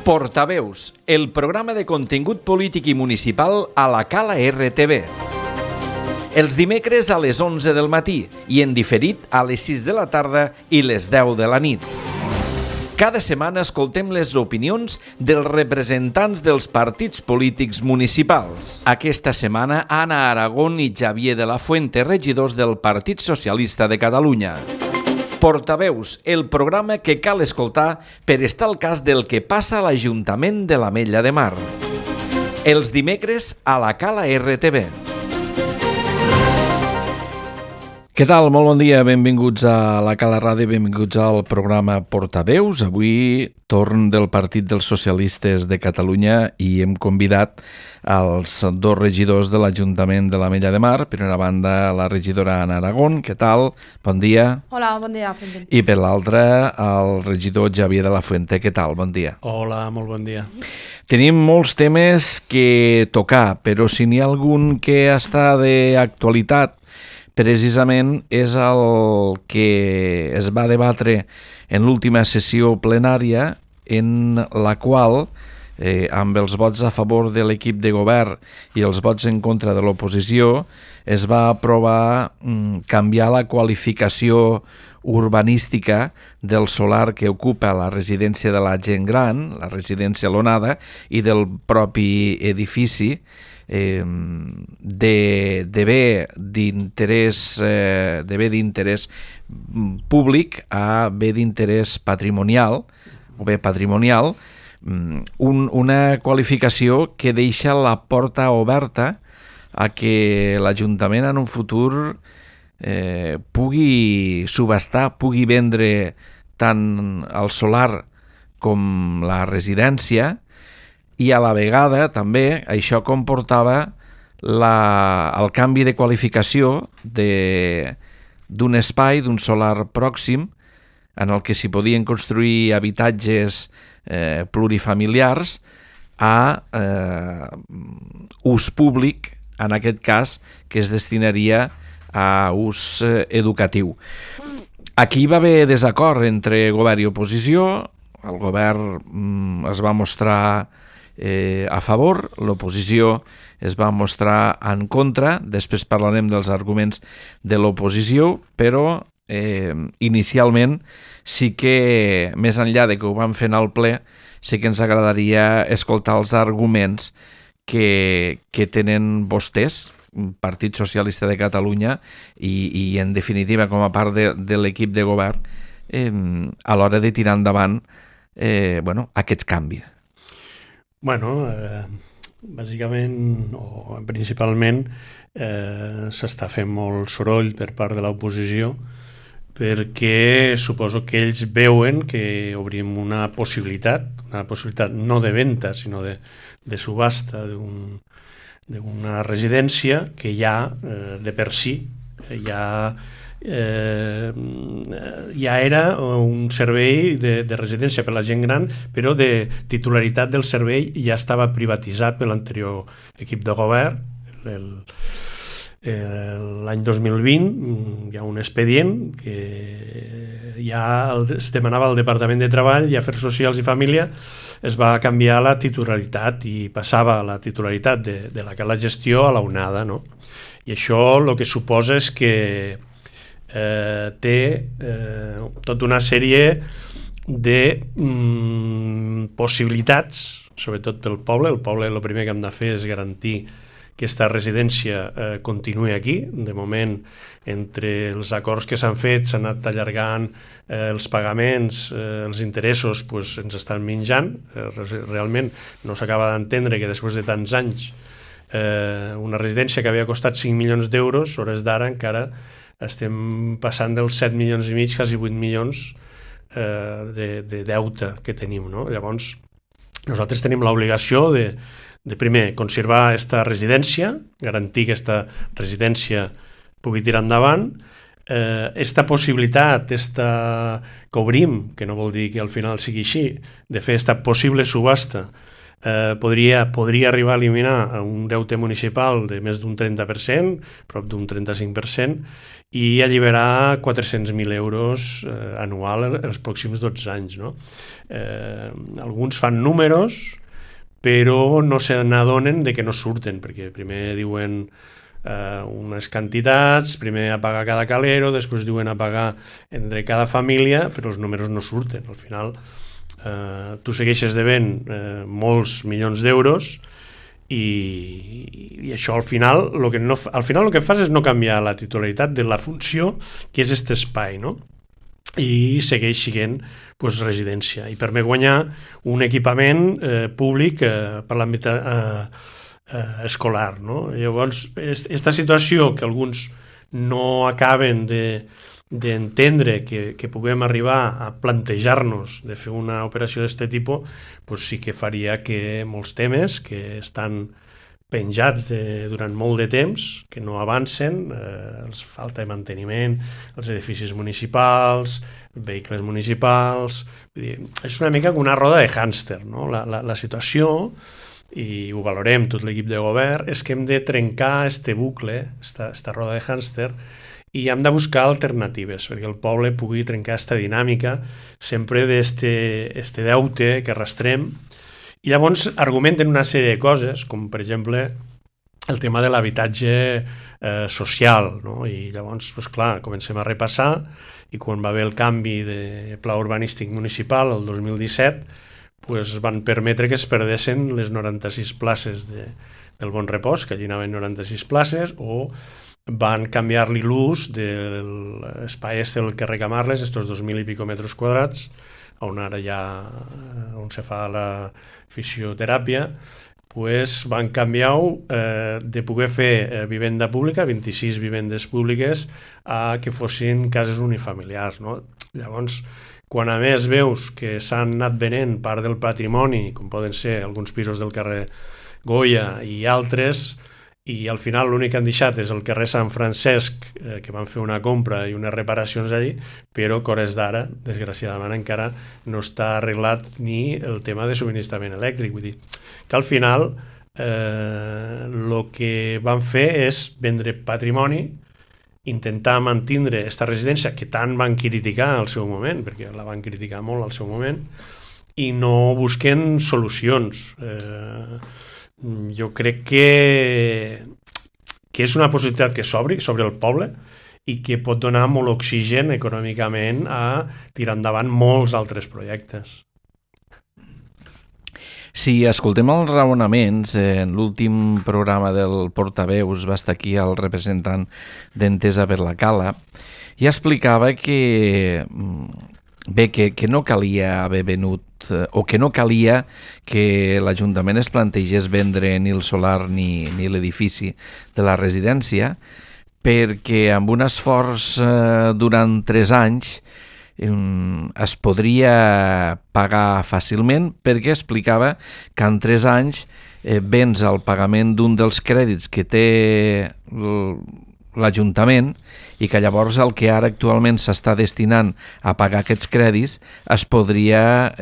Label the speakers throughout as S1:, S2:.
S1: Portaveus, el programa de contingut polític i municipal a la Cala RTV. Els dimecres a les 11 del matí i en diferit a les 6 de la tarda i les 10 de la nit. Cada setmana escoltem les opinions dels representants dels partits polítics municipals. Aquesta setmana, Anna Aragón i Xavier de la Fuente, regidors del Partit Socialista de Catalunya. Portaveus, el programa que cal escoltar per estar al cas del que passa a l'Ajuntament de l'Ametlla de Mar. Els dimecres a la Cala RTV. Què tal? Molt bon dia, benvinguts a la Cala Ràdio, benvinguts al programa Portaveus. Avui torn del Partit dels Socialistes de Catalunya i hem convidat els dos regidors de l'Ajuntament de l'Ametlla de Mar. Per una banda, la regidora Anna Aragón, què tal? Bon dia.
S2: Hola, bon dia.
S1: I per l'altra, el regidor Xavier de la Fuente, què tal? Bon dia.
S3: Hola, molt bon dia.
S1: Tenim molts temes que tocar, però si n'hi ha algun que està d'actualitat, precisament és el que es va debatre en l'última sessió plenària en la qual, amb els vots a favor de l'equip de govern i els vots en contra de l'oposició, es va aprovar canviar la qualificació urbanística del solar que ocupa la residència de la gent gran, la residència L'Onada, i del propi edifici, de bé d'interès públic a bé d'interès patrimonial o bé patrimonial, una qualificació que deixa la porta oberta a que l'Ajuntament en un futur pugui subhastar, pugui vendre tant el solar com la residència, i a la vegada també això comportava el canvi de qualificació d'un espai, d'un solar pròxim, en el que s'hi podien construir habitatges plurifamiliars a ús públic, en aquest cas, que es destinaria a ús educatiu. Aquí va haver desacord entre govern i oposició. El govern es va mostrar a favor, l'oposició es va mostrar en contra. Després parlarem dels arguments de l'oposició, però inicialment sí que, més enllà de que ho vam fer al ple, sí que ens agradaria escoltar els arguments que tenen vostès, Partit Socialista de Catalunya, i en definitiva com a part de l'equip de govern, a l'hora de tirar endavant aquests canvis.
S3: Bàsicament o principalment s'està fent molt soroll per part de l'oposició perquè suposo que ells veuen que obrim una possibilitat no de venda sinó de subhasta d'una residència que ja de per si ja era un servei de residència per a la gent gran, però de titularitat del servei ja estava privatitzat per l'anterior equip de govern. L'any 2020 hi ha un expedient que ja es demanava al Departament de Treball i Afers Socials i Família, es va canviar la titularitat i passava la titularitat de la gestió a la Onada, no? I això el que suposa és que té tota una sèrie de possibilitats, sobretot pel poble. El poble el primer que hem de fer és garantir que aquesta residència continuï aquí. De moment, entre els acords que s'han fet, s'han anat allargant els pagaments, els interessos ens estan menjant. Realment no s'acaba d'entendre que després de tants anys una residència que havia costat 5 milions d'euros, hores d'ara encara estem passant dels 7 milions i mig, quasi 8 milions de deute que tenim, no? Llavors, nosaltres tenim l'obligació de primer, conservar aquesta residència, garantir que aquesta residència pugui tirar endavant. Esta possibilitat, que obrim, que no vol dir que al final sigui així, de fer aquesta possible subhasta, podria arribar a eliminar un deute municipal de més d'un 30%, prop d'un 35%, i alliberar 400.000 euros anual els pròxims 12 anys. No? Alguns fan números, però no se n'adonen de que no surten, perquè primer diuen unes quantitats, primer a pagar cada calero, després diuen a pagar entre cada família, però els números no surten. Al final tu segueixes devent molts milions d'euros i això al final el que fas és no canviar la titularitat de la funció que és aquest espai, no? I segueix sent residència i permet guanyar un equipament públic per l'àmbit escolar, no? Llavors, aquesta situació que alguns no acaben d'entendre que puguem arribar a plantejar-nos de fer una operació d'aquest tipus, sí que faria que molts temes que estan penjats durant molt de temps, que no avancen, falta de manteniment, els edificis municipals, vehicles municipals... Vull dir, és una mica com una roda de hàmster, no? La situació, i ho valorem tot l'equip de govern, és que hem de trencar este bucle, esta roda de hàmster, i hem de buscar alternatives perquè el poble pugui trencar aquesta dinàmica sempre d'este deute que arrastrem. I llavors argumenten una sèrie de coses, com per exemple el tema de l'habitatge social, no? I llavors, clar, comencem a repassar i quan va haver el canvi de pla urbanístic municipal el 2017 van permetre que es perdessin les 96 places del Bon Repòs, que allí anaven 96 places, o van canviar-li l'ús de l'espai del carrer Camarles, estos 2.000 i pico metres quadrats, on ara on se fa la fisioteràpia, van canviar-ho de poder fer vivenda pública, 26 vivendes públiques, a que fossin cases unifamiliars. No? Llavors, quan a més veus que s'han anat venent part del patrimoni, com poden ser alguns pisos del carrer Goya i altres, i al final l'únic que han deixat és el carrer Sant Francesc, que van fer una compra i unes reparacions allí, però que hores d'ara, desgraciadament, encara no està arreglat ni el tema de subministrament elèctric. Vull dir que al final el que van fer és vendre patrimoni, intentar mantindre aquesta residència que tant van criticar al seu moment, perquè la van criticar molt al seu moment, i no busquen solucions. Jo crec que és una possibilitat que s'obri sobre el poble i que pot donar molt oxigen econòmicament a tirar endavant molts altres projectes.
S1: Si escoltem els raonaments, en l'últim programa del Portaveus va estar aquí el representant d'Entesa per la Cala i explicava que no calia haver venut o que no calia que l'Ajuntament es plantegés vendre ni el solar ni l'edifici de la residència perquè amb un esforç durant 3 anys es podria pagar fàcilment perquè explicava que en 3 anys vens el pagament d'un dels crèdits que té l'Ajuntament i que llavors el que ara actualment s'està destinant a pagar aquests crèdits es podria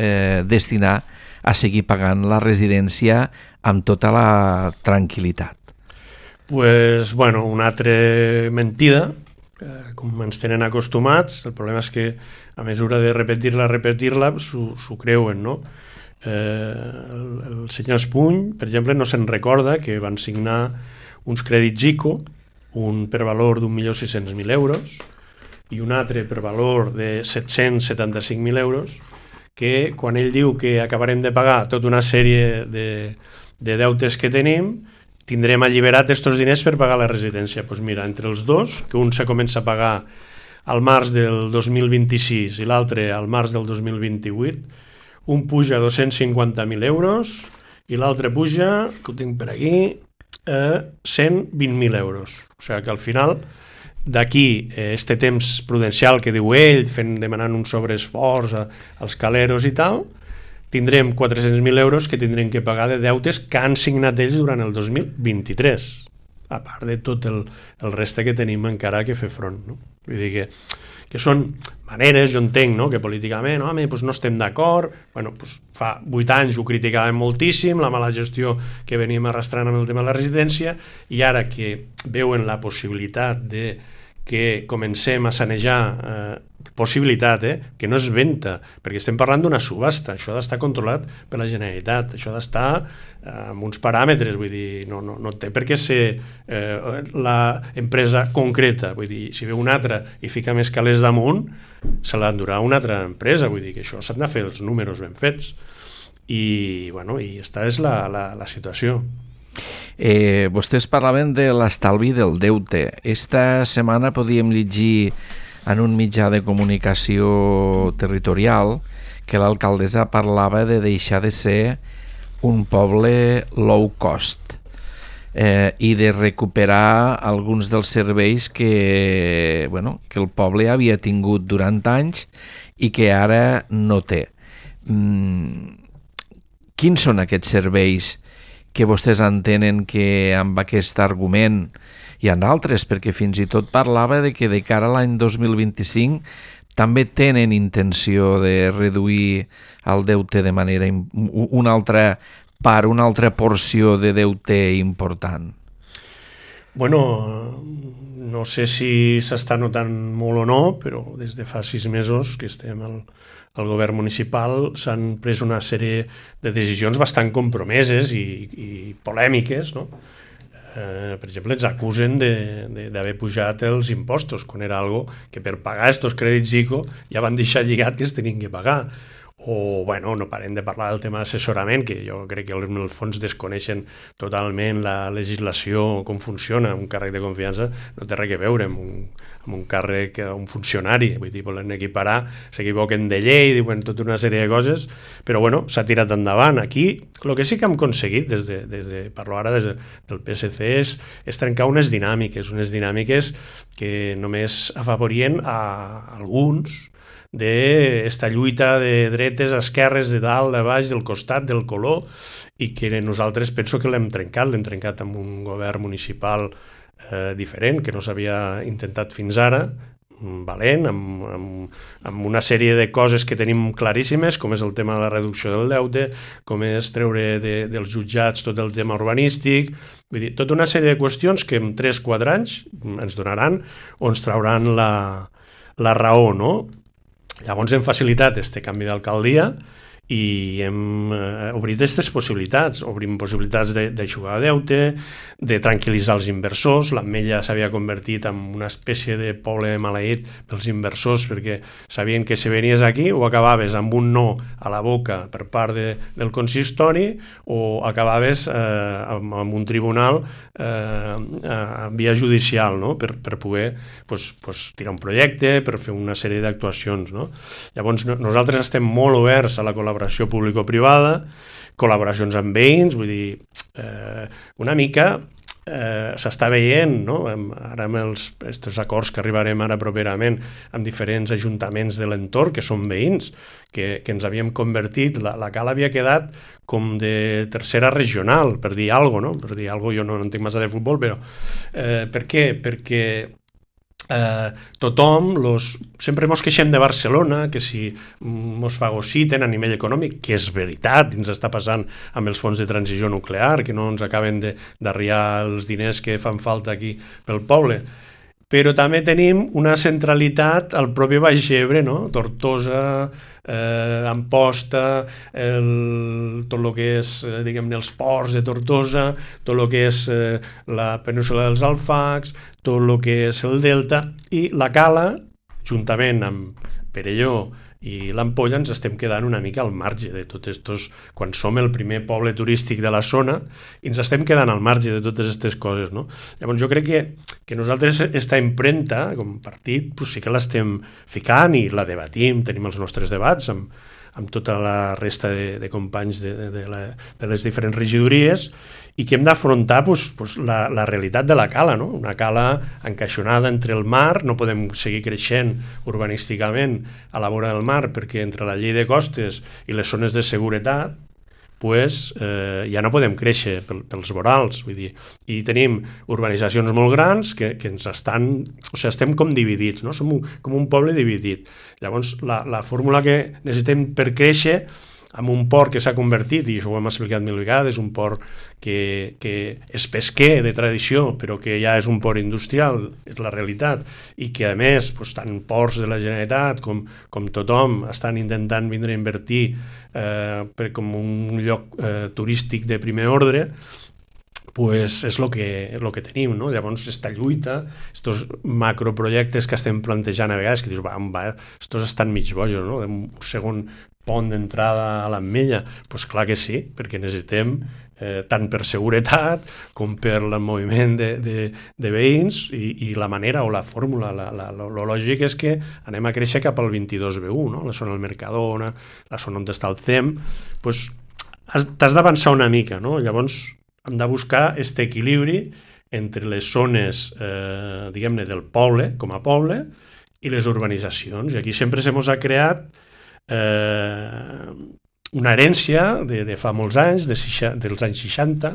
S1: destinar a seguir pagant la residència amb tota la tranquil·litat.
S3: Una altra mentida, com ens tenen acostumats. El problema és que a mesura de repetir-la s'ho creuen, no? El senyor Espuny, per exemple, no se'n recorda que van signar uns crèdits ICO, un per valor d'1.600.000 euros i un altre per valor de 775.000 euros, que quan ell diu que acabarem de pagar tota una sèrie de deutes que tenim, tindrem alliberat aquests diners per pagar la residència. Doncs mira, entre els dos, que un se comença a pagar al març del 2026 i l'altre al març del 2028, un puja 250.000 euros i l'altre puja, que ho tinc per aquí, 120.000 euros. O sigui que al final, d'aquí, este temps prudencial que diu ell, demanant un sobreesforç als caleros i tal, tindrem 400.000 euros que tindrem que pagar de deutes que han signat ells durant el 2023, a part de tot el reste que tenim encara que fer front. No? Vull dir que que són maneres, jo entenc, no? Que políticament doncs no estem d'acord, doncs fa 8 anys ho criticàvem moltíssim, la mala gestió que veníem arrastrant amb el tema de la residència, i ara que veuen la possibilitat de que comencem a sanejar possibilitat, que no és venda, perquè estem parlant d'una subhasta, això ha d'estar controlat per la Generalitat, això ha d'estar amb uns paràmetres, vull dir, no té per què ser l'empresa concreta, vull dir, si ve una altra i fica més calés damunt, se l'endurà una altra empresa, vull dir que això s'han de fer els números ben fets, i aquesta és la situació.
S1: Vostès parlaven de l'estalvi del deute. Esta setmana podíem llegir en un mitjà de comunicació territorial que l'alcaldessa parlava de deixar de ser un poble low cost i de recuperar alguns dels serveis que el poble havia tingut durant anys i que ara no té. Quins són aquests serveis que vostès entenen que amb aquest argument hi ha d'altres, perquè fins i tot parlava de que de cara a l'any 2025 també tenen intenció de reduir el deute de manera una altra part, una altra porció de deute important?
S3: No sé si s'està notant molt o no, però des de fa 6 mesos que estem al govern municipal s'han pres una sèrie de decisions bastant compromeses i polèmiques, no? Per exemple, ens acusen d'haver pujat els impostos, quan era algo que per pagar estos crèdits ICO ja van deixar lligat que es tenien que pagar. O, no parem de parlar del tema d'assessorament, que jo crec que en el fons desconeixen totalment la legislació, com funciona. Un càrrec de confiança no té res a veure amb un càrrec, un funcionari. Vull dir, volen equiparar, s'equivoquen de llei, diuen tota una sèrie de coses, però s'ha tirat endavant. Aquí, el que sí que hem aconseguit, parlo ara del PSC, és trencar unes dinàmiques que només afavorien a alguns d'esta lluita de dretes, esquerres, de dalt, de baix, del costat, del color, i que nosaltres penso que l'hem trencat amb un govern municipal diferent, que no s'havia intentat fins ara, valent, amb una sèrie de coses que tenim claríssimes, com és el tema de la reducció del deute, com és treure dels jutjats tot el tema urbanístic, vull dir, tota una sèrie de qüestions que en 3-4 anys ens donaran o ens trauran la raó, no? Llavors hem facilitat aquest canvi d'alcaldia i hem obrit aquestes possibilitats. Obrim possibilitats d'aixugar deute, de tranquil·litzar els inversors. L'Ametlla s'havia convertit en una espècie de poble maleït pels inversors, perquè sabien que si venies aquí o acabaves amb un no a la boca per part del consistori o acabaves amb un tribunal en via judicial, no? per poder tirar un projecte, per fer una sèrie d'actuacions, no? Llavors nosaltres estem molt oberts a la col·laboració público-privada, col·laboracions amb veïns, vull dir, una mica s'està veient, no? Ara amb aquests acords que arribarem ara properament amb diferents ajuntaments de l'entorn, que són veïns, que ens havíem convertit, la Cala havia quedat com de tercera regional, per dir alguna cosa, no? Per dir alguna cosa, jo no entenc massa de futbol, però per què? Perquè tothom, sempre ens queixem de Barcelona, que si ens fagociten a nivell econòmic, que és veritat, ens està passant amb els fons de transició nuclear, que no ens acaben d'arribar els diners que fan falta aquí pel poble, però també tenim una centralitat al propi Baix Ebre, no? Tortosa, Amposta, tot el que és, diguem-ne, els ports de Tortosa, tot el que és la península dels Alfacs, tot el que és el Delta, i la Cala, juntament amb Perelló i l'Ampolla, ens estem quedant una mica al marge de tots estos, quan som el primer poble turístic de la zona, i ens estem quedant al marge de totes aquestes coses, no? Llavors jo crec que nosaltres aquesta impremta, com a partit, sí que l'estem ficant i la debatim, tenim els nostres debats amb tota la resta de companys de les diferents regidories, i que hem d'afrontar la realitat de la Cala, no? Una Cala encaixonada entre el mar, no podem seguir creixent urbanísticament a la vora del mar, perquè entre la llei de costes i les zones de seguretat pues, ja no podem créixer pels vorals, vull dir, i tenim urbanitzacions molt grans que ens estan, o sigui, estem com dividits, no? Som com un poble dividit. Llavors, la fórmula que necessitem per créixer amb un port que s'ha convertit, i això ho hem explicat mil vegades, un port que és pesquer de tradició, però que ja és un port industrial, és la realitat, i que a més, tant ports de la Generalitat com tothom estan intentant vindre a invertir com un lloc turístic de primer ordre, pues és el que tenim, no? Llavors, aquesta lluita, aquests macroprojectes que estem plantejant a vegades, que dius, estos estan mig bojos, no? Un segon pont d'entrada a l'Ametlla, doncs clar que sí, perquè necessitem tant per seguretat com per el moviment de veïns i la manera o la fórmula, lo lògic és que anem a créixer cap al 22B1, no? La zona del Mercadona, la zona on està el CEM, doncs t'has d'avançar una mica, no? Llavors hem de buscar aquest equilibri entre les zones, diguem-ne, del poble, com a poble, i les urbanitzacions. I aquí sempre se mos ha creat una herència de fa molts anys, dels anys 60,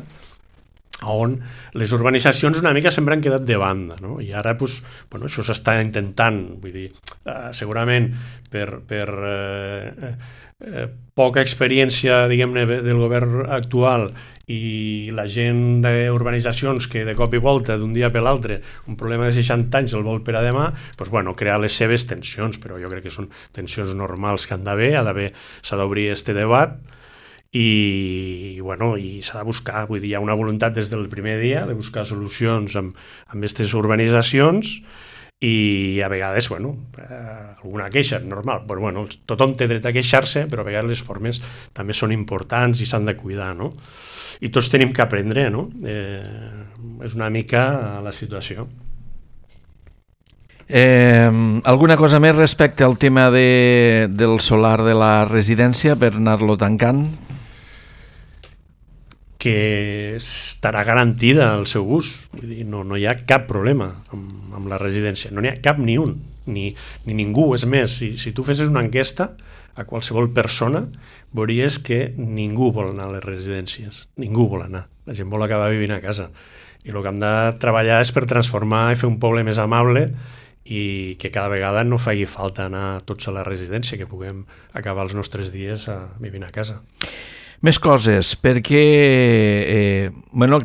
S3: on les urbanitzacions una mica sempre han quedat de banda, no? I ara això s'està intentant, vull dir, segurament per poca experiència, diguem-ne, del govern actual i la gent d'urbanitzacions que de cop i volta, d'un dia per l'altre, un problema de 60 anys el vol per a demà, crear les seves tensions, però jo crec que són tensions normals que han d'haver, s'ha d'obrir aquest debat i s'ha de buscar, vull dir, hi ha una voluntat des del primer dia de buscar solucions amb aquestes urbanitzacions i a vegades, alguna queixa, normal, però tothom té dret a queixar-se, però a vegades les formes també són importants i s'han de cuidar, no? I tots tenim que aprendre, no? És una mica la situació.
S1: Alguna cosa més respecte al tema del solar de la residència per anar-lo tancant?
S3: Que estarà garantida el seu ús. Vull dir, no hi ha cap problema amb la residència. No n'hi ha cap ni un, ni ningú. És més, si tu fessis una enquesta a qualsevol persona, veuries que ningú vol anar a les residències. Ningú vol anar. La gent vol acabar vivint a casa. I el que hem de treballar és per transformar i fer un poble més amable i que cada vegada no faci falta anar tots a la residència, que puguem acabar els nostres dies vivint a casa.
S1: Més coses, perquè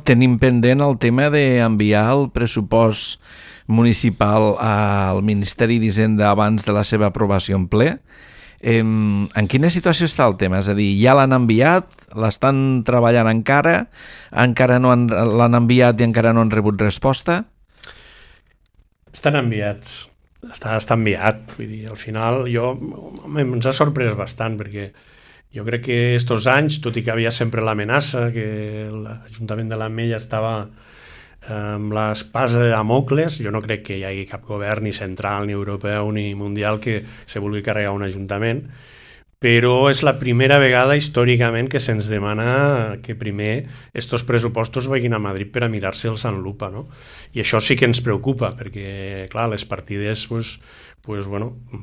S1: tenim pendent el tema d'enviar el pressupost municipal al Ministeri d'Hisenda abans de la seva aprovació en ple. En quina situació està el tema? És a dir, ja l'han enviat, l'estan treballant encara no l'han enviat i encara no han rebut resposta?
S3: Estan enviats, està enviat. Vull dir, al final ens ha sorprès bastant perquè jo crec que aquests anys, tot i que havia sempre l'amenaça, que l'Ajuntament de l'Ametlla estava amb l'espasa de Damocles, jo no crec que hi hagi cap govern ni central, ni europeu, ni mundial que se vulgui carregar un ajuntament, però és la primera vegada històricament que se'ns demana que primer estos pressupostos vagin a Madrid per a mirar-se'ls en lupa, no? I això sí que ens preocupa, perquè, clar, les partides,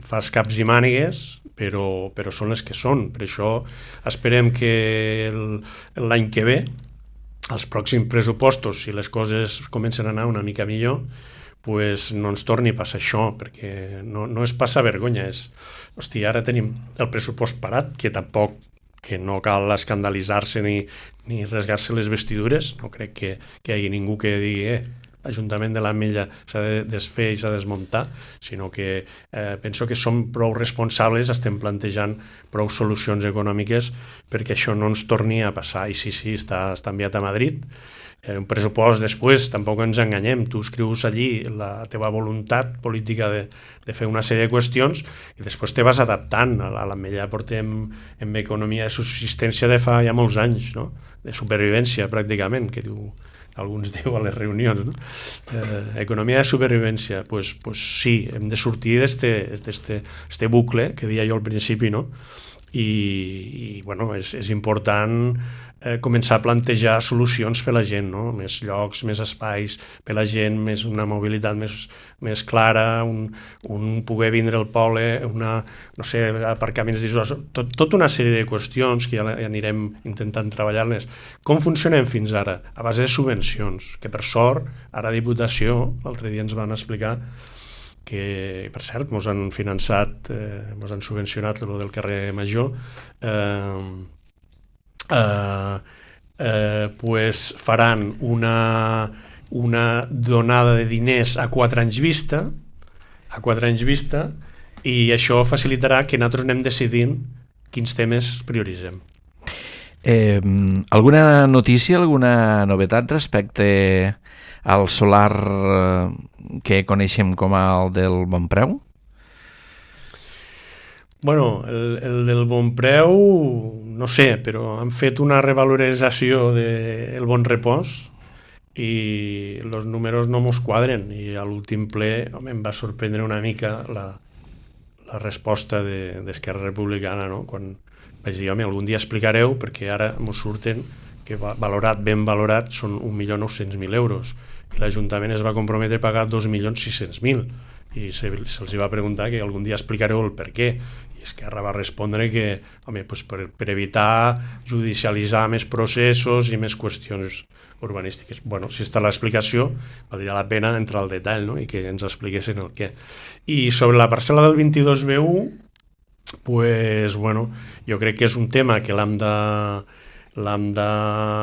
S3: fas caps i mànigues, però són les que són. Per això esperem que l'any que ve, els pròxims pressupostos, si les coses comencen a anar una mica millor, no ens torni a passar això, perquè no és passar vergonya, ara tenim el pressupost parat, que tampoc que no cal escandalitzar-se ni rasgar-se les vestidures, no crec que hi hagi ningú que digui l'Ajuntament de l'Ametlla s'ha de desfer i s'ha de desmuntar, sinó que penso que som prou responsables, estem plantejant prou solucions econòmiques perquè això no ens torni a passar. I sí, està enviat a Madrid. Un pressupost després, tampoc ens enganyem, tu escrius allí la teva voluntat política de fer una sèrie de qüestions i després te vas adaptant. A l'Ametlla portem en economia de subsistència de fa ja molts anys, no? De supervivència pràcticament, que alguns diu a les reunions, no? Economia de supervivència, sí, hem de sortir d'este bucle que deia jo al principi, no? i bueno, és important començar a plantejar solucions per a la gent, no? Més llocs, més espais per a la gent, més una mobilitat més clara, un poder vindre al poble, no sé, aparcaments d'isols, tota una sèrie de qüestions que ja anirem intentant treballar-les. Com funcionem fins ara? A base de subvencions, que per sort, ara a Diputació, l'altre dia ens van explicar que, per cert, ens han finançat, ens han subvencionat el del carrer Major, pues faran una donada de diners a 4 anys vista, i això facilitarà que nosaltres anem decidint quins temes prioritzem.
S1: Alguna notícia, alguna novetat respecte al solar que coneixem com el del Bonpreu?
S3: Bueno, el del Bonpreu, no sé, però han fet una revalorització del Bon Repòs i els números no mos quadren, i a l'últim ple em va sorprendre una mica la resposta d'Esquerra Republicana, no? Quan vaig dir, home, algun dia explicareu, perquè ara mos surten que ben valorat són 1.900.000 euros, i l'Ajuntament es va comprometre a pagar 2.600.000, i se'ls va preguntar que algun dia explicareu el per què, i Esquerra va respondre que, home, pues per evitar judicialitzar més processos i més qüestions urbanístiques. Bueno, si està l'explicació, valdria la pena entrar al detall, no? I que ens expliquessin el què. I sobre la parcel·la del 22B1, pues, bueno, jo crec que és un tema que l'hem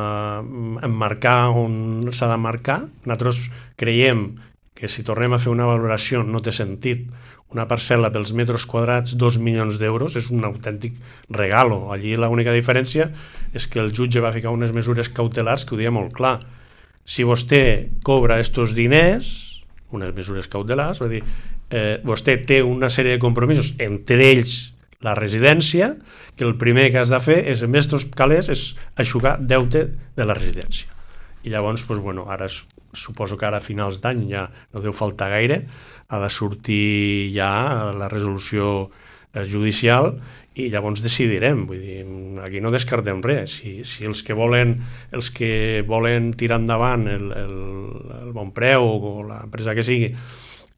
S3: d'emmarcar on s'ha d'emmarcar. Nosaltres creiem que si tornem a fer una valoració no té sentit. Una parcel·la pels metres quadrats, 2 milions d'euros, és un autèntic regalo. Allí l'única diferència és que el jutge va ficar unes mesures cautelars que ho deia molt clar. Si vostè cobra estos diners, unes mesures cautelars, va dir, vostè té una sèrie de compromisos, entre ells la residència, que el primer que has de fer és, en estos calés, és aixugar deute de la residència. I llavors, doncs, bueno, ara suposo que ara a finals d'any ja no deu faltar gaire, ha de sortir ja la resolució judicial i llavors decidirem. Vull dir, aquí no descartem res. Si els que volen tirar endavant el Bonpreu o l'empresa que sigui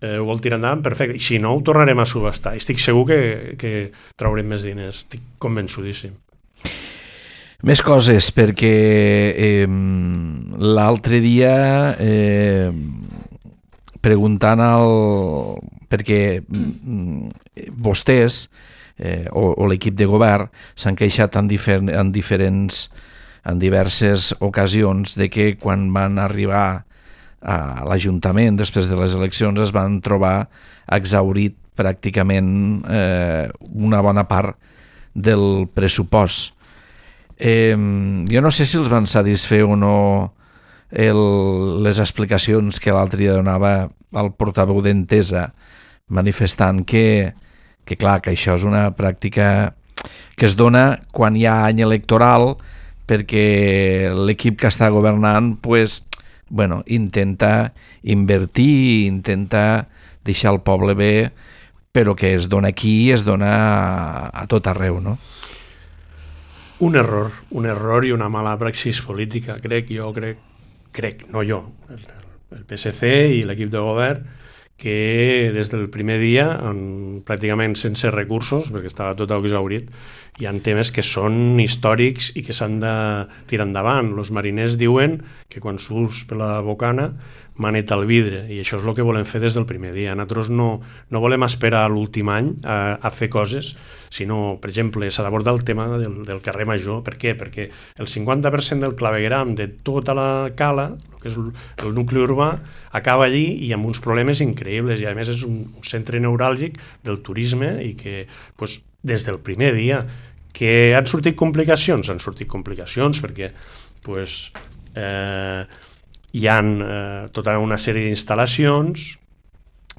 S3: ho vol tirar endavant, perfecte. I si no, ho tornarem a subhastar. Estic segur que traurem més diners. Estic convençudíssim.
S1: Més coses, perquè l'altre dia preguntant perquè vostès o l'equip de govern s'han queixat en diverses ocasions de que quan van arribar a l'Ajuntament després de les eleccions es van trobar exhaurit pràcticament una bona part del pressupost. Jo no sé si els van satisfer o no les explicacions que l'altre dia donava el portaveu d'Entesa manifestant que clar, que això és una pràctica que es dona quan hi ha any electoral perquè l'equip que està governant pues, bueno, intenta invertir, intenta deixar el poble bé, però que es dona aquí i es dona a tot arreu, no?
S3: Un error i una mala praxis política, crec, no jo, el PSC i l'equip de govern, que des del primer dia, pràcticament sense recursos, perquè estava tot exhaurit, hi ha temes que són històrics i que s'han de tirar endavant. Els mariners diuen que quan surts per la bocana maneta al vidre, i això és el que volem fer des del primer dia. Nosaltres no volem esperar a l'últim any a fer coses, sinó, per exemple, s'ha d'abordar el tema del carrer Major. Per què? Perquè el 50% del clavegueram de tota la cala, que és el nucli urbà, acaba allí i amb uns problemes increïbles, i a més és un centre neuràlgic del turisme i que pues, des del primer dia que han sortit complicacions perquè pues, hi ha tota una sèrie d'instal·lacions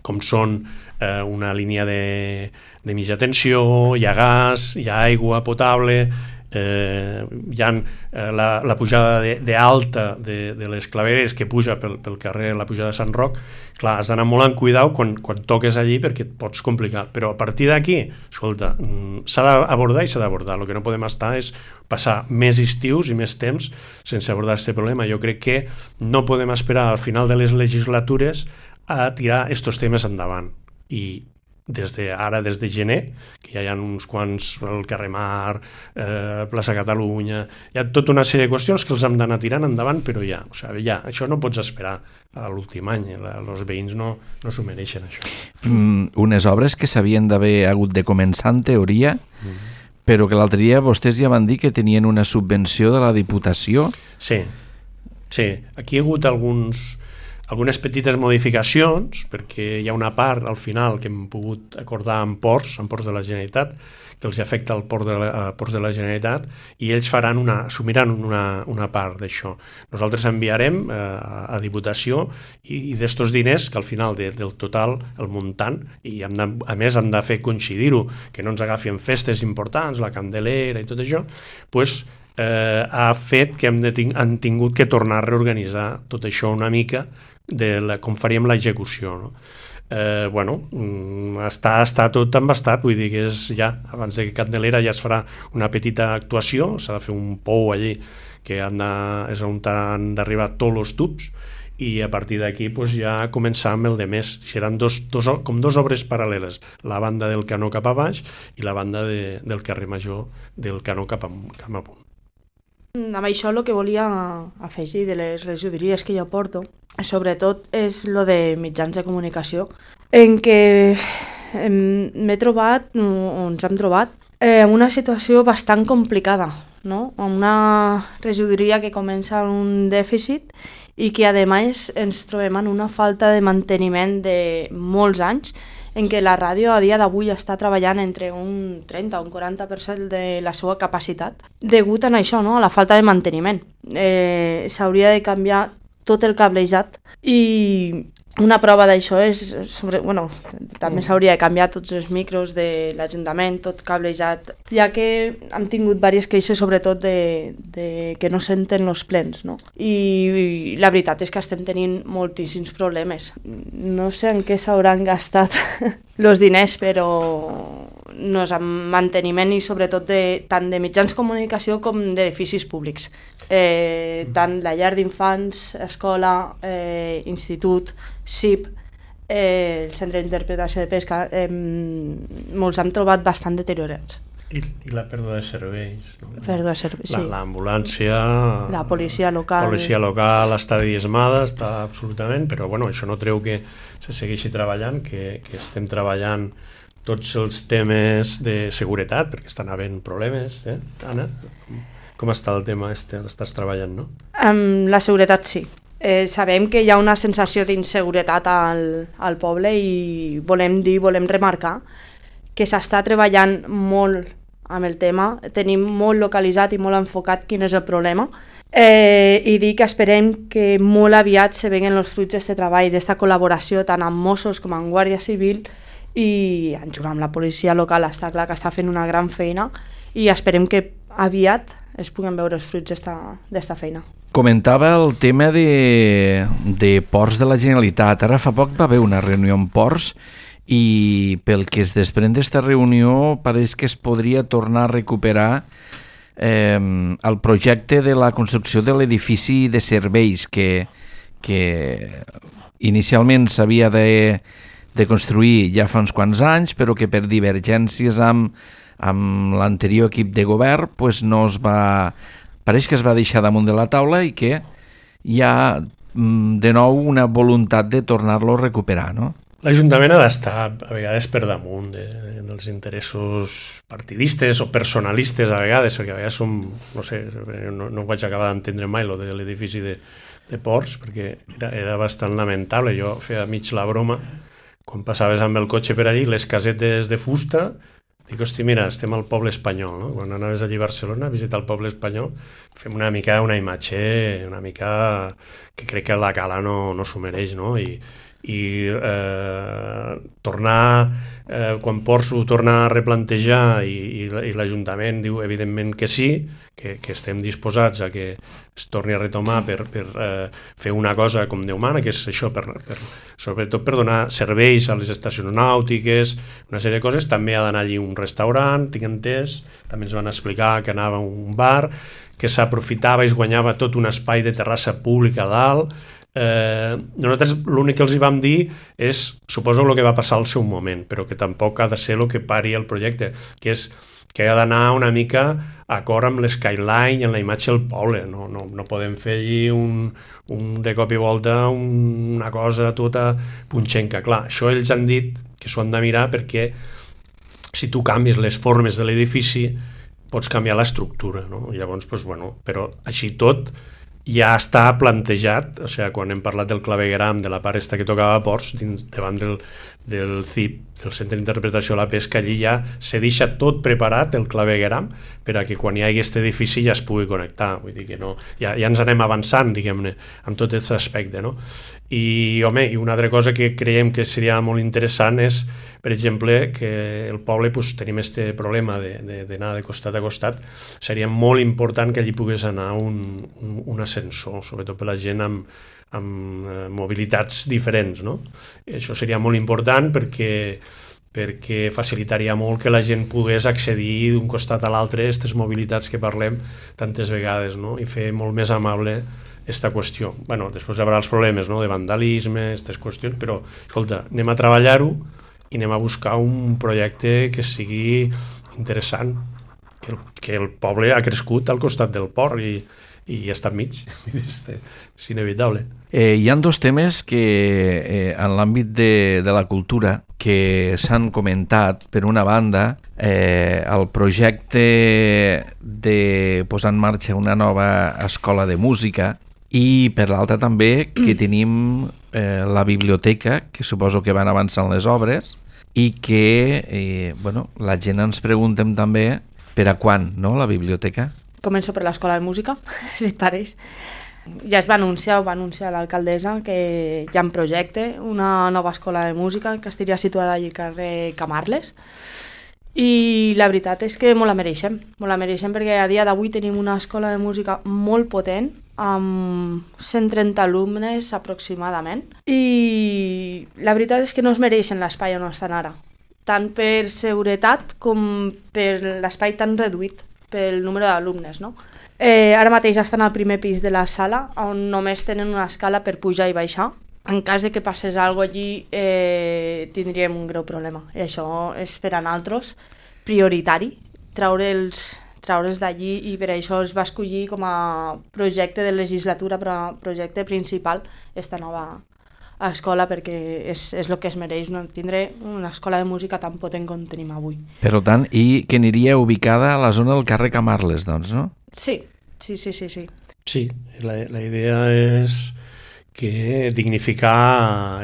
S3: com són una línia de mitja tensió, hi ha gas, hi ha aigua potable, hi ha la pujada d'alta de les clavegueres que puja pel carrer, la pujada de Sant Roc. Clar, has d'anar molt amb cuidau quan toques allí perquè et pots complicar, però a partir d'aquí, escolta, s'ha d'abordar i s'ha d'abordar. El que no podem estar és passar més estius i més temps sense abordar aquest problema. Jo crec que no podem esperar al final de les legislatures a tirar aquests temes endavant, i des de gener, que ja hi ha uns quants, el carrer Mar, plaça Catalunya, hi ha tota una sèrie de qüestions que els hem d'anar tirant endavant, però ja, això no pots esperar a l'últim any, els veïns no s'ho mereixen, això.
S1: Unes obres que s'havien d'haver hagut de començar en teoria, però que l'altre dia vostès ja van dir que tenien una subvenció de la Diputació.
S3: Sí, aquí hi ha hagut algunes petites modificacions, perquè hi ha una part al final que hem pogut acordar amb ports de la Generalitat, que els afecta al ports de la Generalitat, i ells assumiran una part d'això. Nosaltres enviarem a Diputació i d'estos diners, que al final del total, el muntant, i a més hem de fer coincidir-ho, que no ens agafi en festes importants, la Candelera i tot això, doncs ha fet que han tingut que tornar a reorganitzar tot això una mica, com faríem l'execució, no? Està tot embastat, vull dir que abans de Candelera ja es farà una petita actuació, s'ha de fer un pou allí que és on han d'arribar tots els tubs, i a partir d'aquí ja començar amb el de més. Seran com dos obres paral·leles, la banda del Canó cap a baix i la banda del carrer Major del Canó cap amunt.
S2: Amb això el que volia afegir de les regidories que jo porto, sobretot és lo de mitjans de comunicació, en què m'he trobat, o ens hem trobat, en una situació bastant complicada, no? Una regidoria que comença amb un dèficit i que a més ens trobem en una falta de manteniment de molts anys, en què la ràdio a dia d'avui està treballant entre un 30 o un 40% de la seva capacitat, degut a això, no? A la falta de manteniment. S'hauria de canviar tot el cablejat, i una prova d'això és, també s'hauria de canviar tots els micros de l'Ajuntament, tot cablejat, ja que hem tingut diverses queixes, sobretot de que no senten els plens, no? I la veritat és que estem tenint moltíssims problemes. No sé en què s'hauran gastat els diners, però no és en manteniment, i sobretot tant de mitjans de comunicació com d'edificis públics. Tant la llar d'infants, escola, institut, CIP, el centre d'interpretació de pesca, molts han trobat bastant deteriorats.
S3: I la pèrdua de serveis.
S2: Pèrdua de serveis, sí.
S3: L'ambulància,
S2: la policia local
S3: està diezmada, està absolutament, però això no treu que se segueixi treballant, que estem treballant tots els temes de seguretat, perquè estan havent problemes, Anna? Com està el tema l'estàs treballant, no?
S2: Amb la seguretat, sí. Sabem que hi ha una sensació d'inseguretat al poble, i volem remarcar que s'està treballant molt amb el tema, tenim molt localitzat i molt enfocat quin és el problema, i dir que esperem que molt aviat se veguen els fruits d'aquest treball, d'aquesta col·laboració tant amb Mossos com amb Guàrdia Civil, i en jugar amb la policia local. Està clar que està fent una gran feina, i esperem que aviat es puguen veure els fruits d'esta feina.
S1: Comentava el tema de ports de la Generalitat. Ara fa poc va haver una reunió amb ports, i pel que es desprèn d'esta reunió pareix que es podria tornar a recuperar el projecte de la construcció de l'edifici de serveis que inicialment s'havia de construir ja fa uns quants anys, però que per divergències amb l'anterior equip de govern no es va... Pareix que es va deixar damunt de la taula, i que hi ha de nou una voluntat de tornar-lo a recuperar, no?
S3: L'Ajuntament ha d'estar a vegades per damunt dels interessos partidistes o personalistes a vegades, perquè a vegades no vaig acabar d'entendre mai lo de l'edifici de ports, perquè era bastant lamentable. Jo feia mig la broma, quan passaves amb el cotxe per allí, les casetes de fusta, dic, hosti, mira, estem al poble espanyol, no? Quan anaves allí a Barcelona a visitar el poble espanyol, fem una imatge una mica que crec que la Cala no s'ho mereix, no? I tornar, quan Porso tornar a replantejar i l'Ajuntament diu evidentment que sí, que estem disposats a que es torni a retomar per fer una cosa com Déu mana, que és això, sobretot per donar serveis a les estacions nàutiques, una sèrie de coses. També ha d'anar allí un restaurant, tinc entès, també ens van explicar que anava a un bar, que s'aprofitava i es guanyava tot un espai de terrassa pública a dalt. Nosaltres l'únic que els hi vam dir és, suposo el que va passar al seu moment, però que tampoc ha de ser el que pari el projecte, que és que ha d'anar una mica acord amb l'skyline i amb la imatge del poble. No podem fer allí de cop i volta una cosa tota punxenca. Clar, això ells han dit que s'ho han de mirar perquè si tu canvies les formes de l'edifici pots canviar l'estructura, no? Llavors, doncs, bueno, però així tot ja està plantejat, o sigui, quan hem parlat del clavegueram, de la part esta que tocava a Ports, davant del CIP, del Centre d'Interpretació de la Pesca, allí ja se deixa tot preparat, el clavegueram, per a que quan hi hagi aquest edifici ja es pugui connectar. Vull dir que no, ja ens anem avançant, diguem-ne, amb tot aquest aspecte, no? I, home, i una altra cosa que creiem que seria molt interessant és, per exemple, que el poble tenim aquest problema d'anar de costat a costat. Seria molt important que allí pogués anar un ascensor, sobretot per la gent amb mobilitats diferents, no? Això seria molt important perquè facilitaria molt que la gent pogués accedir d'un costat a l'altre a aquestes mobilitats que parlem tantes vegades, no? I fer molt més amable aquesta qüestió. Bueno, després hi haurà els problemes, no?, de vandalisme, aquestes qüestions, però, escolta, anem a treballar-ho i anem a buscar un projecte que sigui interessant, que el poble ha crescut al costat del port i està enmig, és inevitable.
S1: Hi ha dos temes que en l'àmbit de la cultura que s'han comentat. Per una banda, el projecte de posar en marxa una nova escola de música, i per l'altra també que tenim la biblioteca, que suposo que van avançant les obres, i que la gent ens preguntem també per a quan, no?, la biblioteca.
S2: Començo per l'escola de música, si et pareix. Ja es va anunciar l'alcaldessa que hi ha en projecte una nova escola de música que estaria situada allà al carrer Camarles, i la veritat és que molt la mereixem perquè a dia d'avui tenim una escola de música molt potent, amb 130 alumnes aproximadament, i la veritat és que no es mereixen l'espai on estan ara, tant per seguretat com per l'espai tan reduït pel número d'alumnes, no? Ara mateix estan al primer pis de la sala, on només tenen una escala per pujar i baixar. En cas de que passés alguna cosa allí, tindríem un greu problema. I això és per a nosaltres prioritari, treure'ls d'allí, i per això es va escollir com a projecte de legislatura, però projecte principal, esta nova escola, perquè és el que es mereix, no? Tindre una escola de música tan potent com tenim avui.
S1: Per tant, i que aniria ubicada a la zona del carrer Camarles, doncs, no?
S2: Sí.
S3: Sí, la idea és que dignificar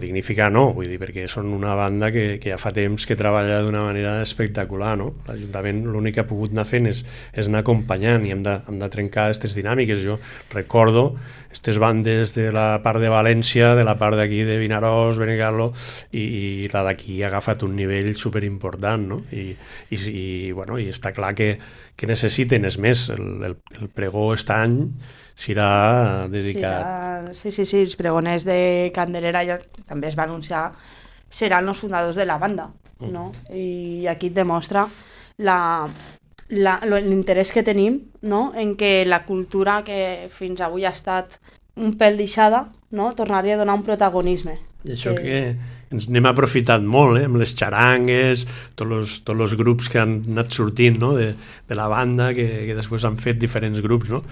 S3: dignificar no, vull dir, perquè són una banda que ja fa temps que treballa d'una manera espectacular, no? L'Ajuntament l'únic que ha pogut anar fent és anar acompanyant, i hem de trencar aquestes dinàmiques. Jo recordo aquestes bandes de la part de València, de la part d'aquí de Vinaròs, Benicarló, i la d'aquí ha agafat un nivell superimportant, no? I està clar que necessiten, és més, el pregó aquest any serà dedicat...
S2: Sí, els pregoners de Candelera ja també es va anunciar, seran els fundadors de la banda, no? I aquí et demostra l'interès que tenim, no?, en que la cultura que fins avui ha estat un pèl deixada, no?, tornaria a donar un protagonisme.
S3: I això que ens n'hem aprofitat molt, amb les xarangues, tots els grups que han anat sortint, no?, de la banda, que després han fet diferents grups, no?,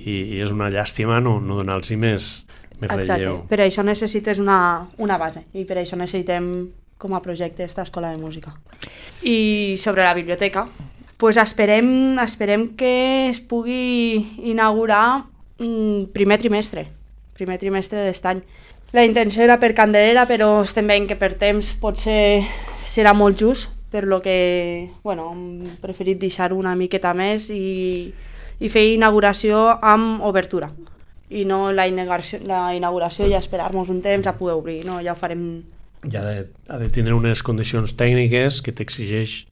S3: i és una llàstima no donar-los més relleu.
S2: Per això necessites una base, i per això necessitem com a projecte aquesta escola de música. I sobre la biblioteca, pues esperem que es pugui inaugurar primer trimestre d'aquest any. La intenció era per Candelera, però estem veient que per temps potser serà molt just, per lo que hem preferit deixar una miqueta més i fer inauguració amb obertura, i no la inauguració i esperar-nos un temps a poder obrir, no? Ja ho farem.
S3: Ja ha de tindre unes condicions tècniques que t'exigeix,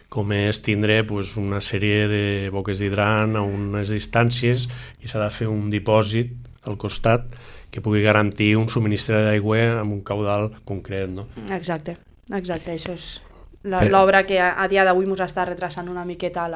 S3: com és tindre pues, una sèrie de boques d'hidrant a unes distàncies i s'ha de fer un dipòsit al costat que pugui garantir un subministre d'aigua amb un caudal concret. No?
S2: Exacte, això és l'obra que a dia d'avui ens està retrasant una miqueta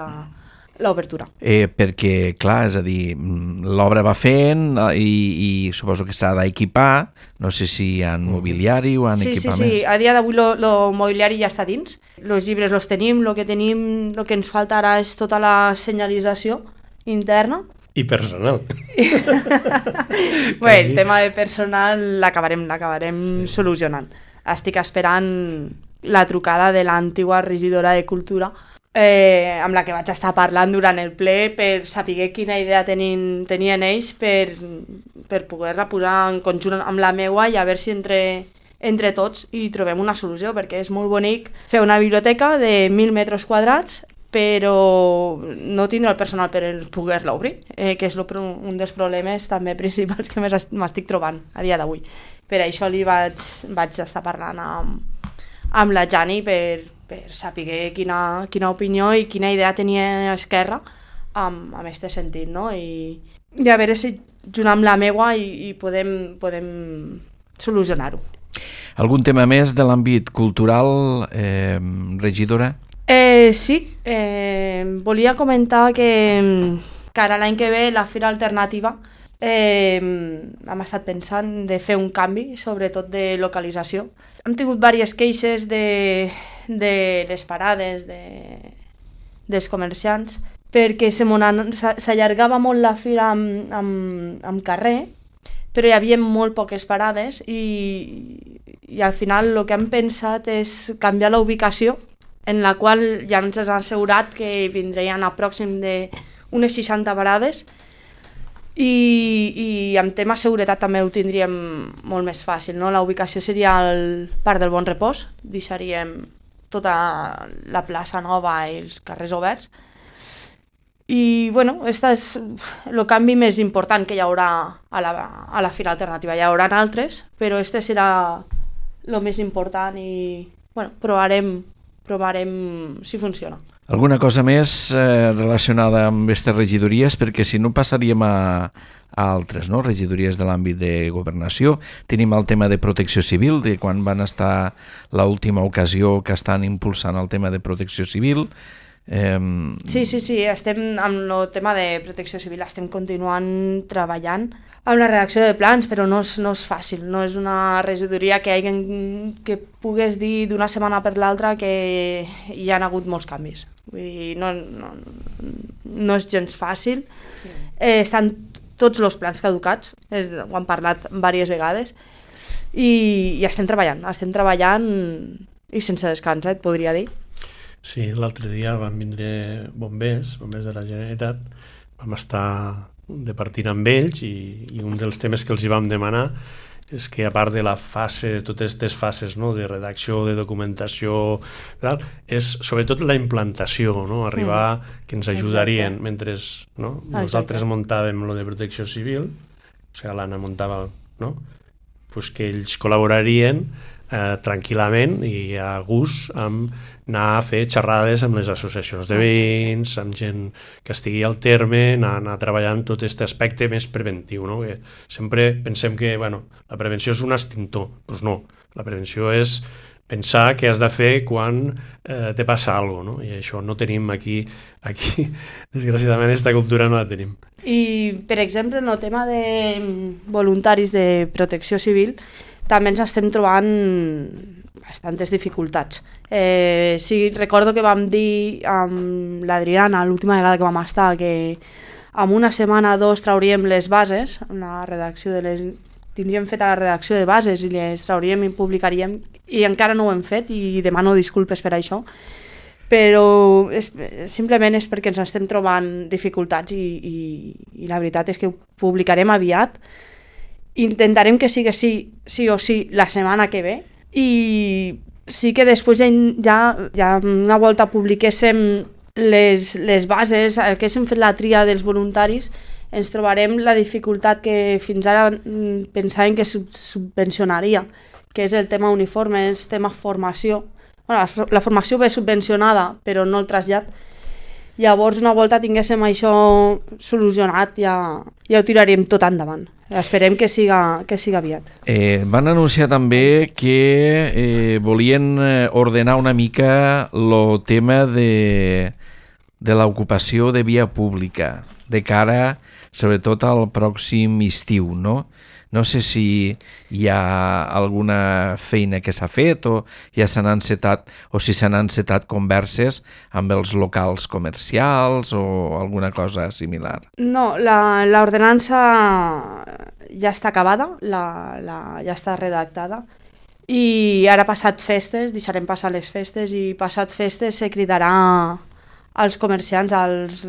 S2: l'obertura.
S1: Perquè, clar, és a dir, l'obra va fent i suposo que s'ha d'equipar, no sé si hi ha mobiliari o hi ha equipaments.
S2: Sí, a dia d'avui el mobiliari ja està dins, els llibres els tenim, el que ens falta ara és tota la senyalització interna.
S3: I personal.
S2: Bé, el tema de personal l'acabarem solucionant. Estic esperant la trucada de l'antiga regidora de Cultura, amb la que vaig estar parlant durant el ple per saber quina idea tenien ells per poder-la posar en conjunt amb la meua i a veure si entre tots hi trobem una solució, perquè és molt bonic fer una biblioteca de 1.000 metres quadrats però no tindre el personal per poder-la obrir, que és un dels problemes també principals que m'estic trobant a dia d'avui. Per això li vaig estar parlant amb la Jani per saber quina opinió i quina idea tenia Esquerra amb aquest sentit, no? I a veure si junt amb la meua i podem solucionar-ho.
S1: Algun tema més de l'àmbit cultural, regidora?
S2: Sí, volia comentar que ara l'any que ve la Fira Alternativa hem estat pensant de fer un canvi, sobretot de localització. Hem tingut diverses queixes de les parades dels comerciants perquè s'allargava molt la fira amb carrer, però hi havia molt poques parades i al final el que hem pensat és canviar la ubicació, en la qual ja ens han assegurat que vindrien a pròxim d'unes 60 parades i amb tema seguretat també ho tindríem molt més fàcil, no? La ubicació seria al Parc del Bon Repòs, deixaríem tota la plaça Nova i els carrers oberts i bueno, aquest és el canvi més important que hi haurà a la Fira Alternativa. Hi haurà altres, però este serà el més important i bueno, provarem si funciona.
S1: Alguna cosa més relacionada amb aquestes regidories, perquè si no passaríem a altres, no? Regidories de l'àmbit de governació. Tenim el tema de protecció civil, de quan van estar l'última ocasió que estan impulsant el tema de protecció civil.
S2: Sí, estem amb el tema de protecció civil, estem continuant treballant amb la redacció de plans, però no és fàcil, no és una regidoria que pugues dir d'una setmana per l'altra que hi ha hagut molts canvis. Vull dir, no és gens fàcil. Estan tots els plans caducats, ho hem parlat diverses vegades, i estem treballant i sense descans, et podria dir.
S3: Sí, l'altre dia van vindre bombers de la Generalitat, vam estar departint amb ells i un dels temes que els hi vam demanar és que a part de la fase, totes aquestes fases, no, de redacció, de documentació, tal, és sobretot la implantació, no, arribar que ens ajudarien mentre nosaltres muntàvem lo de protecció civil, o sigui, l'Anna muntava, no, pues que ells col·laborarien tranquil·lament i a gust amb anar a fer xerrades amb les associacions de veïns, amb gent que estigui al terme, anar treballant tot aquest aspecte més preventiu, no? Que sempre pensem que la prevenció és un extintor, doncs no, la prevenció és pensar què has de fer quan te passa alguna cosa, no? I això no tenim aquí desgraciadament aquesta cultura no la tenim.
S2: I per exemple en el tema de voluntaris de protecció civil també ens estem trobant bastantes dificultats. Sí, recordo que vam dir amb l'Adriana l'última vegada que vam estar que en una setmana o dos trauríem les bases, tindríem feta la redacció de bases i les trauríem i publicaríem i encara no ho hem fet i demano disculpes per això, però simplement és perquè ens estem trobant dificultats i la veritat és que ho publicarem aviat. Intentarem que sigui sí o sí la setmana que ve i sí que després ja una volta publiquéssim les bases, que haguéssim fet la tria dels voluntaris, ens trobarem la dificultat que fins ara pensàvem que subvencionaria, que és el tema uniforme, el tema formació. Bueno, la formació ve subvencionada, però no el trasllat. Llavors, una volta tinguéssim això solucionat, ja ho tiraríem tot endavant. Esperem que siga aviat.
S1: Van anunciar també que volien ordenar una mica el tema de l'ocupació de via pública, de cara, sobretot, al pròxim estiu, no? No sé si hi ha alguna feina que s'ha fet o ja s'han encetat, o si s'han encetat converses amb els locals comercials o alguna cosa similar.
S2: No, l'ordenança ja està acabada, ja està redactada, i ara passat festes, deixarem passar les festes, i passat festes se cridarà als comerciants, als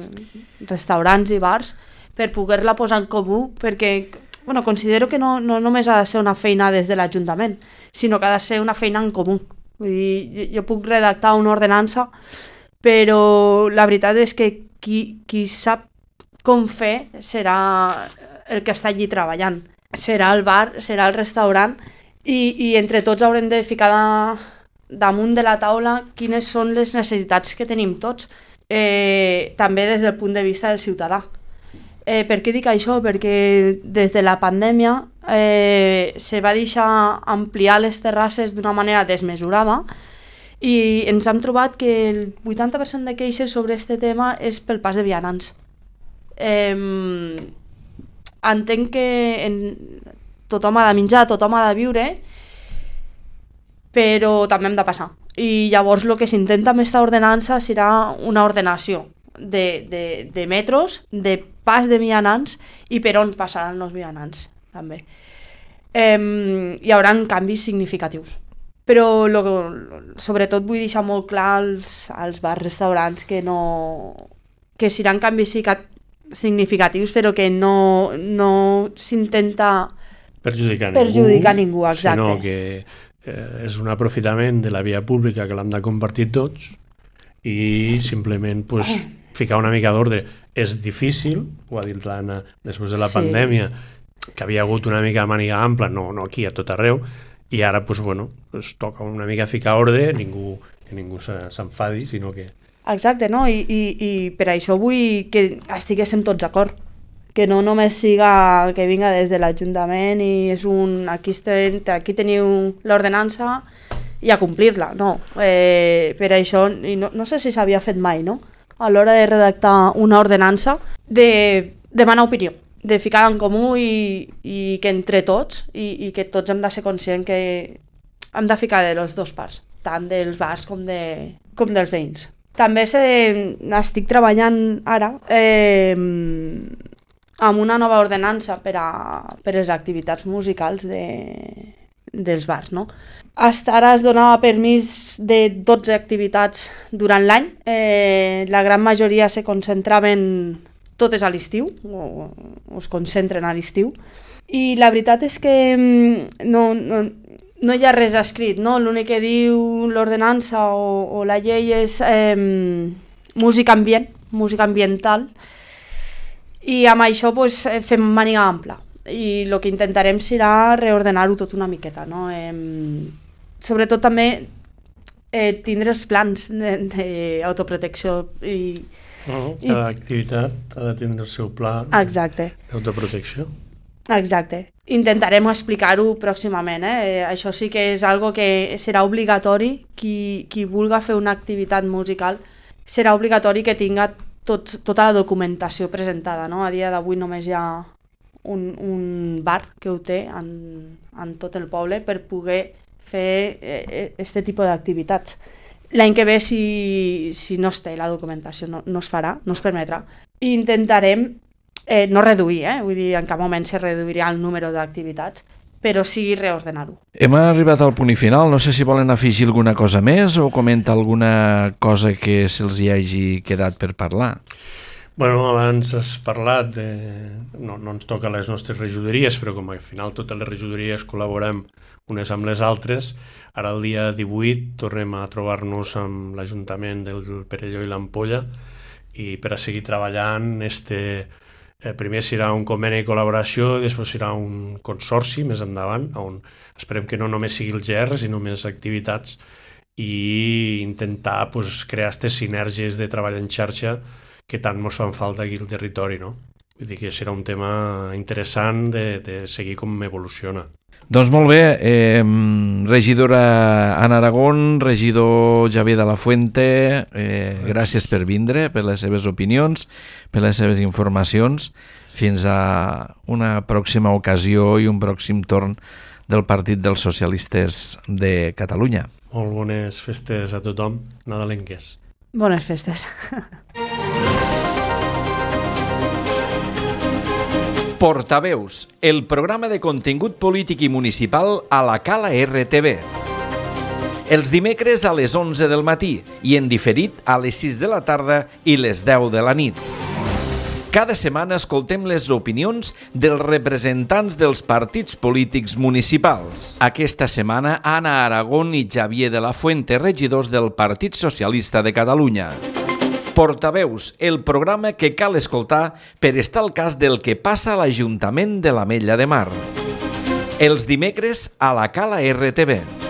S2: restaurants i bars, per poder-la posar en comú, perquè considero que no només ha de ser una feina des de l'Ajuntament, sinó que ha de ser una feina en comú. Vull dir, jo puc redactar una ordenança, però la veritat és que qui sap com fer serà el que està allí treballant. Serà el bar, serà el restaurant, i entre tots haurem de ficar damunt de la taula quines són les necessitats que tenim tots, també des del punt de vista del ciutadà. Per què dic això? Perquè des de la pandèmia se va deixar ampliar les terrasses d'una manera desmesurada i ens hem trobat que el 80% de queixes sobre aquest tema és pel pas de vianants. Entenc que tothom ha de menjar, tothom ha de viure, però també hem de passar. I llavors el que s'intenta amb aquesta ordenança serà una ordenació de metros, de pas de vianants i per on passaran els vianants també. Hi haurà canvis significatius, però sobretot vull deixar molt clar als bars, restaurants, que seran canvis significatius, però que no s'intenta perjudicar ningú, exacte.
S3: Sinó que és un aprofitament de la via pública que l'hem de compartir tots i simplement ficar una mica d'ordre. És difícil, ho ha dit l'Anna, després de la pandèmia, que havia hagut una mica de màniga ampla, no aquí, a tot arreu, i ara toca una mica ficar ordre, que ningú s'enfadi, sinó que...
S2: Exacte, no? I per això vull que estiguéssim tots d'acord, que no només siga que vinga des de l'Ajuntament i és aquí teniu l'ordenança i a complir-la, no. Per això, i no sé si s'havia fet mai, no? A l'hora de redactar una ordenança, de demanar opinió, de ficar en comú i que entre tots, i que tots hem de ser conscients que hem de ficar de les dues parts, tant dels bars com dels veïns. També estic treballant ara amb una nova ordenança per a les activitats musicals dels bars, no? Hasta ara es donava permís de 12 activitats durant l'any. La gran majoria se concentraven totes a l'estiu, o es concentren a l'estiu. I la veritat és que no hi ha res escrit, no? L'únic que diu l'ordenança o la llei és música ambient, música ambiental, i amb això fem màniga ampla. I el que intentarem serà reordenar-ho tot una miqueta, no? Sobretot també tindre els plans d'autoprotecció.
S3: Cada activitat ha de tindre el seu pla d'autoprotecció.
S2: Exacte. Intentarem explicar-ho pròximament. Això sí que és algo que serà obligatori. Qui vulga fer una activitat musical serà obligatori que tinga tota la documentació presentada, no? A dia d'avui només hi ha un bar que ho té en tot el poble per poder fer aquest tipus d'activitats. L'any que ve, si no es té la documentació, no es farà, no es permetrà. I intentarem no reduir, vull dir, en cap moment se reduirà el número d'activitats, però sí reordenar-ho.
S1: Hem arribat al punt final, no sé si volen afegir alguna cosa més o comenta alguna cosa que se'ls hi hagi quedat per parlar.
S3: Bueno, abans has parlat de... No ens toca les nostres regidories, però com al final totes les regidories col·laborem unes amb les altres, ara el dia 18 tornem a trobar-nos amb l'Ajuntament del Perelló i l'Ampolla i per a seguir treballant este Primer serà un conveni de col·laboració, després serà un consorci més endavant, on esperem que no només sigui el GR, sinó més activitats, i intentar crear aquestes sinergies de treball en xarxa que tant ens fan falta aquí al territori, no? Vull dir que serà un tema interessant de seguir com evoluciona.
S1: Doncs molt bé, regidora Ana Aragón, regidor Xavier de la Fuente, gràcies per vindre, per les seves opinions, per les seves informacions. Fins a una pròxima ocasió i un pròxim torn del Partit dels Socialistes de Catalunya.
S3: Molt bones festes a tothom, nadalenques.
S2: Bones festes.
S1: Portaveus, el programa de contingut polític i municipal a la Cala RTV. Els dimecres a les 11 del matí i en diferit a les 6 de la tarda i les 10 de la nit. Cada setmana escoltem les opinions dels representants dels partits polítics municipals. Aquesta setmana, Ana Aragón i Xavier de la Fuente, regidors del Partit Socialista de Catalunya. Portaveus, el programa que cal escoltar per estar al cas del que passa a l'Ajuntament de l'Ametlla de Mar. Els dimecres a la Cala RTV.